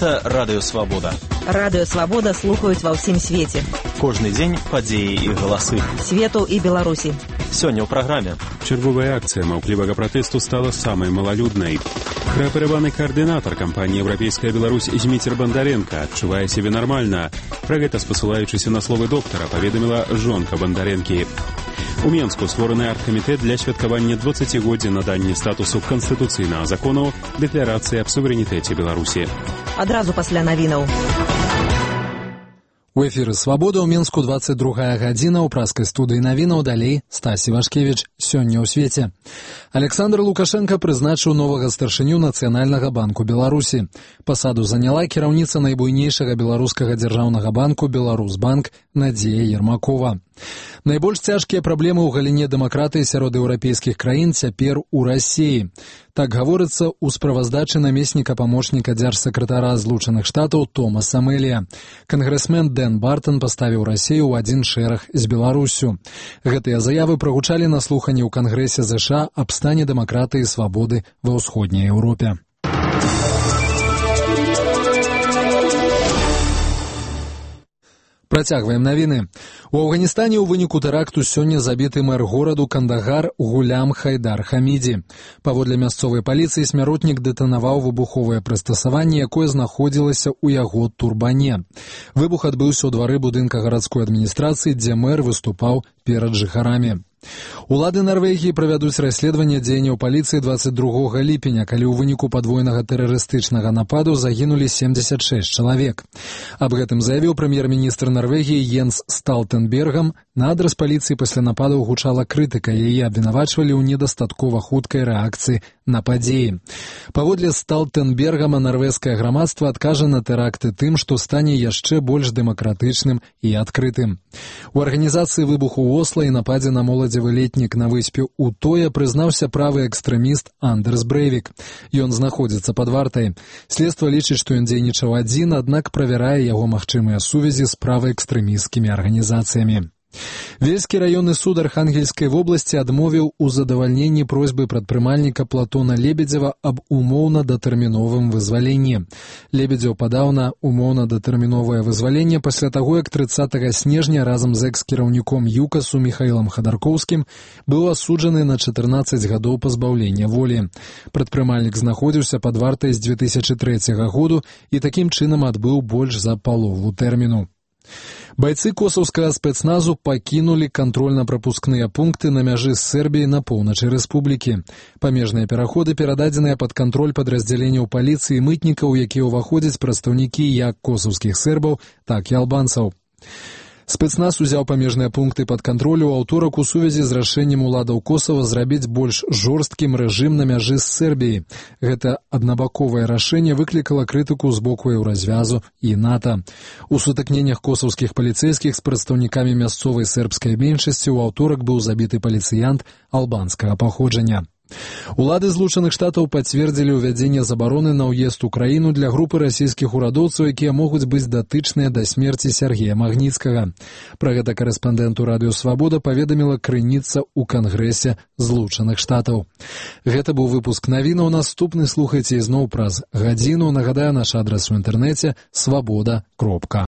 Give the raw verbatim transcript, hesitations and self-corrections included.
Гэта Радыё Свабода. Радыё Свабода слухаюць ва ўсім свеце. Кожны дзень падзеі і галасы. Свету і Беларусі. Сёння ў праграме. Чарговая акцыя маўклівага пратэсту стала самай малалюднай. Праперабаны каардынатар кампаніі «Еўрапейская Беларусь» Зміцер Бандаренка адчувае сябе нармальна. Пра гэта, спасылаючыся на словы доктара, паведаміла жонка Бандаренкі. У Менску створаны аргкамітэт для святкавання дваццацігоддзя надання статусу канстытуцыйнага закону дэкларацыі аб суверэнітэце Беларусі. Адразу пасля навінаў. У эфіры «Свабода» ў Менску дваццаць другая гадзіна, ў праскай студыі навінаў далей Стасі Вашкевіч. Сёння ў свеце. Александр Лукашенко прызначыў новага старшыню Нацыянальнага банку Беларусі. Пасаду заняла кіраўніца найбуйнейшага беларускага дзяржаўнага банку «Беларусьбанк» Надзея Ермакова. Найбольш цяжкія праблемы ў галіне дэмакратыі сярод еўрапейскіх краін цяпер у Расіі. Так гаворыцца ў справаздачы намесніка памочніка дзяржсакратара Злучаных Штатаў Томаса Мэлія. Кангрэсмен Дэн Бартон паставіў Расію ў адзін шэраг з Беларуссю. Гэтыя заявы прагучалі на слуханні ў Кангрэсе ЗША аб стане дэмакратыі і свабоды ва ўсходняй Еўропе. Працягваем навіны. У Афганістане ў выніку тэракту сёння забіты мэр гораду Кандагар Гулям Хайдар Хамідзі. Паводле мясцовай паліцыі смяротнік дэтанаваў выбуховае прыстасаванне, якое знаходзілася ў яго турбане. Выбух адбыўся ў двары будынка гарадской адміністрацыі, дзе мэр выступаў перад жыхарамі. Улады Нарвегіі правядуць расследаванне дзеянняў паліцыі дваццаць другога ліпеня, калі ў выніку падвойнага тэрарыстычнага нападу загінулі семдзесят шэсць чалавек. Аб гэтым заявіў прэм'ер-міністр Нарвегіі Йенс Сталтэнбергам. На адрас паліцыі пасля нападаў гучала крытыка, яе абвінавачвалі ў недастаткова хуткай рэакцыі на падзеі. Паводле Сталтэнбергама нарвежскае грамадства адкажа на тэракты тым, што стане яшчэ больш дэмакратычным і адкрытым. У арганізацыі выбуху ў Осла і нападзе на моладзевы летнік на выспе Утоя прызнаўся правы экстрэміст Андерс Брэйвік. Ён знаходзіцца пад вартай. Следства лічыць, што ён дзейнічаў адзін, аднак правярае яго магчымыя сувязі з праваэкстрэмісцкімі арганізацыямі. Вельскі раённы суд Архангельскай вобласці адмовіў у задавальненні просьбы прадпрымальніка Платона Лебедзева аб умоўна-датэрміновым вызваленні. Лебедзеў падаў на умоўна-датэрміновае вызваленне пасля таго, як трыццатага снежня разам з экс-кіраўніком ЮКАСу Міхаілам Хадаркоўскім быў асуджаны на чатырнаццаць гадоў пазбаўлення волі. Прадпрымальнік знаходзіўся пад вартай з дзве тысячы трэцяга году і такім чынам адбыў больш за палову тэрміну. Байцы косаўскага спецназу пакінулі кантрольна-прапускныя пункты на мяжы з Сербіяй на поўначы рэспублікі. Памежныя пераходы перададзеныя пад кантроль падраздзяленняў паліцыі і мытнікаў, якія ўваходзяць прадстаўнікі як косаўскіх сербаў, так і албанцаў. Спецназ узяў памежныя пункты пад кантролю ў аўторак у сувязі з рашэннем уладаў Косава зрабіць больш жорсткім рэжым на мяжы з Сербіяй. Гэта аднабаковае рашэнне выклікала крытыку з боку Еўразвязу і НАТО. У сутыкненнях косаўскіх паліцэйскіх з прадстаўнікамі мясцовай сербскай меншасці ў аўторак быў забіты паліцыянт албанскага паходжання. Улады Злучаных Штатаў пацвердзілі ўвядзенне забароны на ўезд у краіну для групы расійскіх урадоўцаў, якія могуць быць датычныя да смерці Сергея Магніцкага. Пра гэта карэспандэнту Радыё Свабода паведаміла крыніца ў Кангрэсе Злучаных Штатаў. Гэта быў выпуск навінаў. Наступны слухайце ізноў праз гадзіну. Нагадаю, наш адрас у інтэрнэце свабода кропка